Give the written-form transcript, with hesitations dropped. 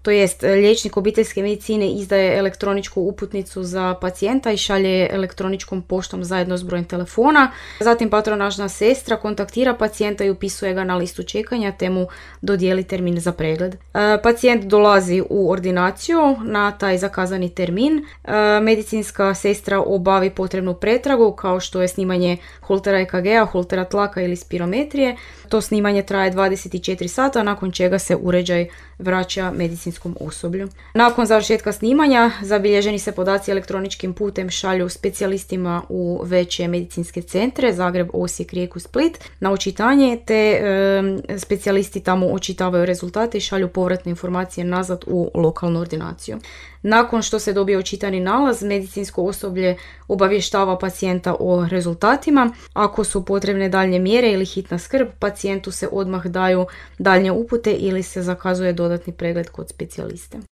to jest liječnik obiteljske medicine izdaje elektroničku uputnicu za pacijenta i šalje je elektroničkom poštom zajedno s brojem telefona. Zatim patronažna sestra kontaktira pacijenta i upisuje ga na listu čekanja te mu dodijeli termin za pregled. Pacijent dolazi u ordinaciju na taj zakazani termin. Medicinska sestra obavi potrebnu pretragu kao što je snimanje holtera EKG-a, holtera tlaka ili spirometrije. To snimanje traje 24 sata, nakon čega se uređaj vraća medicinskom osoblju. Nakon završetka snimanja zabilježeni se podaci elektroničkim putem šalju specijalistima u veće medicinske centre, Zagreb, Osijek, Rijeku, Split, na očitanje, te specijalisti tamo očitavaju rezultate i šalju povratne informacije nazad u lokalnu ordinaciju. Nakon što se dobije očitani nalaz, medicinsko osoblje obavještava pacijenta o rezultatima. Ako su potrebne daljnje mjere ili hitna skrb, pacijentu se odmah daju daljnje upute ili se zakazuje dodatni pregled kod specijaliste.